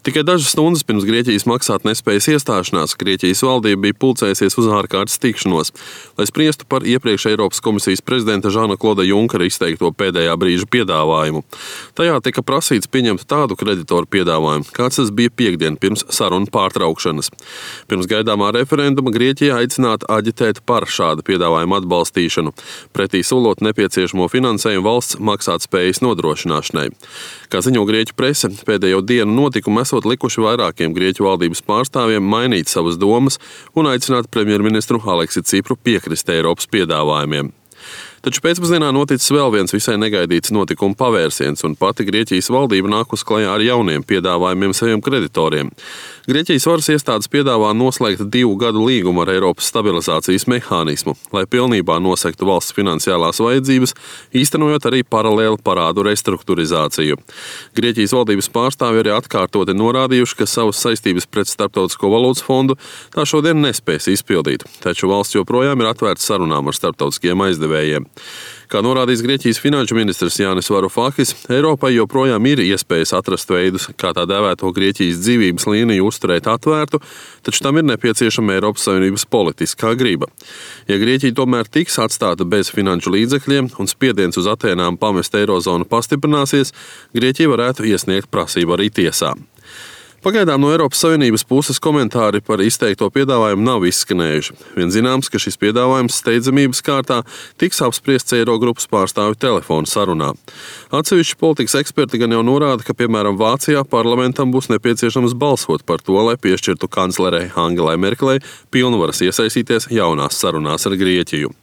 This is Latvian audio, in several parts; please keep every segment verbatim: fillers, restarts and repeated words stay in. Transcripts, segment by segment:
Tikai dažas stundas pirms Grieķijas maksātnespējas iestāšanās Grieķijas valdība bija pulcējusies uz ārkārtas tikšanos, lai spriestu par iepriekš Eiropas komisijas prezidenta Žana Kloda Junkera izteikto pēdējā brīža piedāvājumu. Tajā tika prasīts pieņemt tādu kreditoru piedāvājumu, kāds tas bija piekdien pirms sarunu pārtraukšanas. Pirms gaidāmā referenduma Grieķija aicināta aģitēt par šādu piedāvājumu atbalstīšanu, pretī solot nepieciešamo finansējumu valsts maksātspējas nodrošināšanai. Kā ziņo Grieķu prese, pēdējo dienu notikumu esot likuši vairākiem Grieķu valdības pārstāvjiem mainīt savas domas un aicināt premjerministru Aleksi Cipru piekrist Eiropas piedāvājumiem. Taču pēcpusdienā noticis vēl viens visai negaidīts notikuma pavērsiens, un pati Grieķijas valdība nākus klajā ar jauniem piedāvājumiem saviem kreditoriem. Grieķijas varas iestādes piedāvā noslēgt divu gadu līgumu ar Eiropas stabilizācijas mehānismu, lai pilnībā nosektu valsts finansiālās vajadzības, īstenojot arī paralēli parādu restruktūrizāciju. Grieķijas valdības pārstāvji arī atkārtoti norādījuši, ka savas saistības pret Starptautisko valūtas fondu tā šodien nespēs izpildīt, taču valsts joprojām ir atvērta sarunām ar starptautiskiem aizdevējiem. Kā norādījis Grieķijas finanšu ministrs Jānis Varufakis, Eiropai joprojām ir iespējas atrast veidus, kā tā dēvēto Grieķijas dzīvības līniju uzturēt atvērtu, taču tam ir nepieciešama Eiropas Savienības politiskā griba. Ja Grieķija tomēr tiks atstāta bez finanšu līdzekļiem un spiediens uz Atēnām pamest eirozonu pastiprināsies, Grieķija varētu iesniegt prasību arī tiesā. Pagaidām no Eiropas Savienības puses komentāri par izteikto piedāvājumu nav izskanējuši. Vien zināms, ka šis piedāvājums steidzamības kārtā tiks apspriests Eirogrupas pārstāvju telefonu sarunā. Atsevišķi politikas eksperti gan jau norāda, ka, piemēram, Vācijā parlamentam būs nepieciešams balsot par to, lai piešķirtu kanclerei Angelai Merkelei pilnvaras iesaistīties jaunās sarunās ar Grieķiju.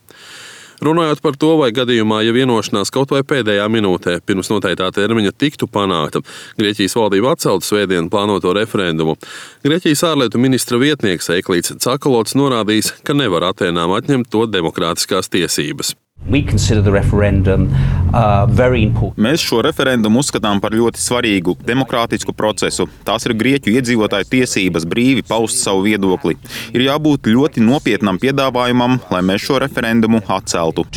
Runājot par to, vai gadījumā, ja vienošanās kaut vai pēdējā minūtē pirms noteiktā termiņa tiktu panākta, Grieķijas valdība atceltu svētdien plānoto referendumu, Grieķijas ārlietu ministra vietnieks Eiklīds Cakalots norādījis, ka nevar Atēnām atņemt to demokrātiskās tiesības. Referendum, uh, Mēs šo referendumu uzskatām par ļoti svarīgu demokrātisku procesu. Tās ir Grieķu iedzīvotāju tiesības brīvi paust savu viedokli. Ir jābūt ļoti nopietnam piedāvājumam, lai mēs šo referendumu atceltu.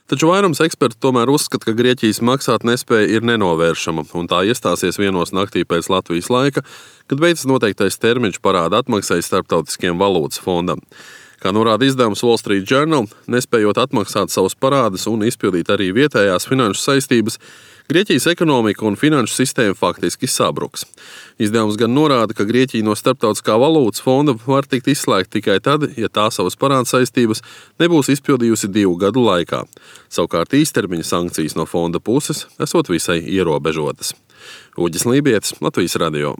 Taču vairums eksperti tomēr uzskata, ka Grieķijas maksātnespēja ir nenovēršama, un tā iestāsies vienos naktī pēc Latvijas laika, kad beidzas noteiktais termiņš parāda atmaksai Starptautiskiem valūtas fondam. Kā norāda izdevums Wall Street Journal, nespējot atmaksāt savus parādus un izpildīt arī vietējās finanšu saistības, Grieķijas ekonomika un finanšu sistēma faktiski sabruks. Izdevums gan norāda, ka Grieķija no Starptautiskā valūtas fonda var tikt izslēgta tikai tad, ja tā savas parādu saistības nebūs izpildījusi divu gadu laikā. Savukārt īstermiņa sankcijas no fonda puses esot visai ierobežotas. Uģis Lībietis, Latvijas radio.